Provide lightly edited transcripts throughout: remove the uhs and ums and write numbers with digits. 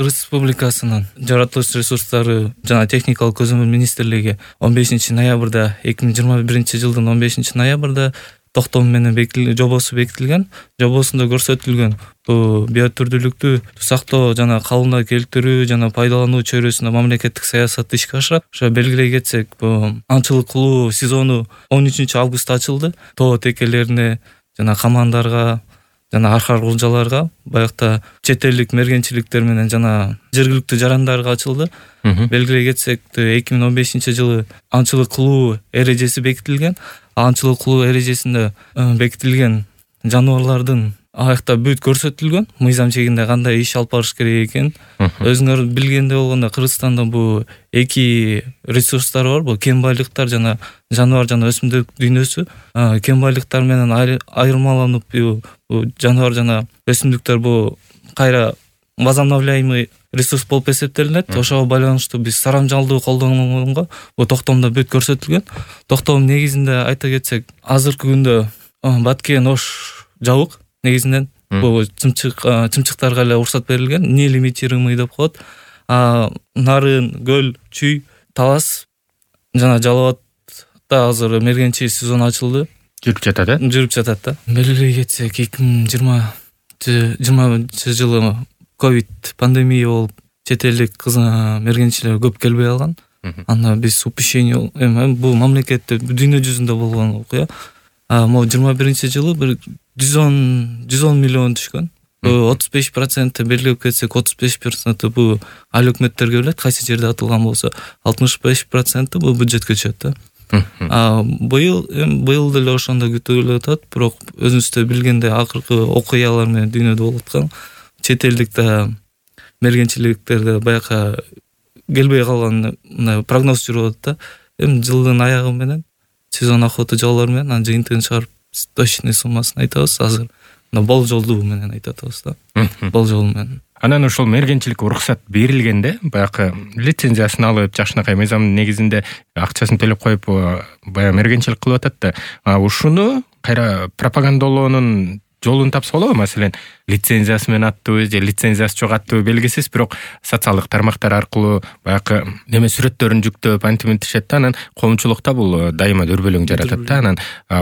Кыргыз Республикасынын жаратылыш ресурстары жана техникалык көзөмөл министрлиги 15 ноябрда 2021 жылдын 15 ноябрда токтом менен жобосу бекитилген. Жобосунда көрсөтүлгөн бул биотүрдүүлүктү сактоо жана калыбына келтирүү жана пайдалануу чөйрөсүндө мамлекеттик саясатты ишке ашырат. Ошо белгилей кетсек, бул аңчылык кылуу сезону 13 августта ачылды. Тоо текелерине жана камандарга жана архар кулжаларга, баягта чет элдик мергенчиликтер менен жана жергиликтүү жарандарга ачылды. Белгилей кетсек, 2015 жылы аңчылык кылуу эрежеси бекитилген. Аңчылык кылуу эрежесинде бекитилген жаныбарлардын аякта бүт көрсөтүлгөн, мыйзам чегинде кандай иш алып барыш керек экен. Өзүңөр билгендей болгондо Кыргызстанда бул эки ресурстар бар, бул кен байлыктар жана жаныбар жана өсүмдүк дүйнөсү. Кен байлыктар менен айырмаланып, бул жаныбар жана өсүмдүктөр бул кайра возобновляемый ресурс болуп эсептелинет. Ошого байланыштуу биз сарамжалдуу колдонгонго бул токтомдо бүт көрсөтүлгөн. Токтом негизинде айта кетсек, азыркы күндө Баткен Ош жабык негизинен. Бул чымчыктарга эле уруксат берилген, нелимитируемый деп коет. Нарын, Көл, Чүй, Талас жана Жалал Абадта азыр мергенчилик сезону ачылды. Жүрүп жатат, Жүрүп жатат да. Белгилей кетсек, 2020 жылы ковид пандемия болуп, чет элдик мергенчилер көп келбей калган. Анда биз упущение бул мамлекетте дүйнө жүзүндө болгон окуя. Могу 21 жылы бир 110 миллион түшкөн. 35% белгилеп кетсек, 35% бул айыл өкмөттерге берилет, кайсы жерде атылган болсо, 65% бул бюджетке түшөт да. Быйыл деле ошондой күтүлүп атат, бирок өзүңүздөр билгендей акыркы окуялар менен дүйнөдө болуп аткан чет элдик мергенчиликтерде баягы келбей калган прогноз жүрүп атат да. Жылдын аягы менен сезон охота жалоолор менен анын жыйынтыгын чыгарып точный суммасын айтабыз. Азыр болжолдуу менен айтып атабыз да. Болжол менен. Анан ошол мергенчиликке уруксат берилгенде, баягы лицензиясын алып, жакшынакай мыйзамдын негизинде акчасын төлөп коюп, баягы мергенчилик кылып атат да. Ушуну кайра пропагандалоонун жолун тапса болобу? Маселен, лицензиясы менен аттыбы же лицензиясы жок аттыбы белгисиз, бирок социалдык тармактар аркылуу баягы сүрөттөрүн жүктөп антиминтишет да. Анан коомчулукта бул дайыма дүрбөлөң жаратат да. Анан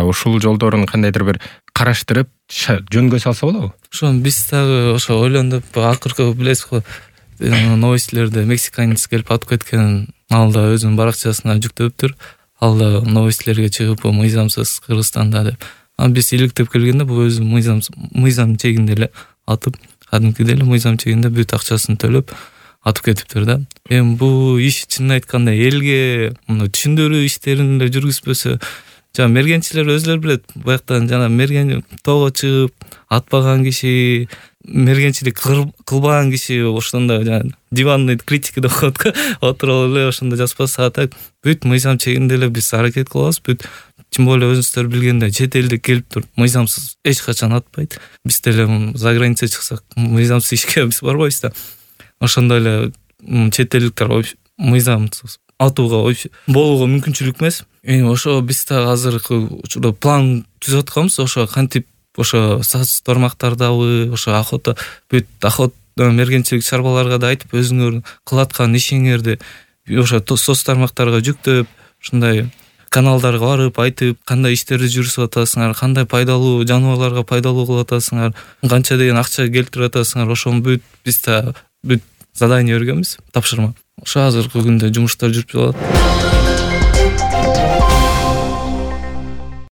ушул жолдорун кандайдыр бир караштырып жөнгө салса болобу? Ошону биз дагы ошо ойлондуп, акыркы билесизби, новостьлерде мексиканец келип атып кеткен, ал да өзүнүн баракчасына жүктөптүр. Ал да новостьлерге чыгып, мыйзамсыз Кыргызстанда деп. Биз иликтеп келгенде бул өзү мыйзам чегинде эле атып, кадимкидей эле мыйзам чегинде бүт акчасын төлөп атып кетиптир да. Бул иш чынын айтканда элге түшүндүрүү иштерин эле жүргүзбөсө, жана мергенчилер өзүлөр билет, баяктан жана мерген тоого чыгып атпаган киши, мергенчилик кылбаган киши ошондо жана диванный критика деп коет го, отуруп эле ошондо жазбаса, так бүт мыйзам чегинде эле биз аракет кылабыз. Бүт тем более өзүңүздөр билгендей, чет элдик келип туруп мыйзамсыз эч качан атпайт. Биз деле за граница чыксак, мыйзамсыз ишке биз барбайбыз да. Ошондой эле чет элдиктер мыйзамсыз атууга болууга мүмкүнчүлүк эмес. Ошо биз дагы азыркы учурда план түзүп атканбыз. Ошо кантип ошо соц тармактардабы, ошо охота мергенчилик чарбаларга да айтып, өзүңөр кылаткан ишиңерди ошо соц тармактарга жүктөп, ушундай каналдарга барып айтып, кандай иштерди жүргүзүп атасыңар, кандай пайдалуу жаныбарларга пайдалуу кылып атасыңар, канча деген акча келтирип атасыңар, ошону бүт биз да бүт задание бергенбиз, тапшырма. Ошо азыркы күндө жумуштар жүрүп жатат.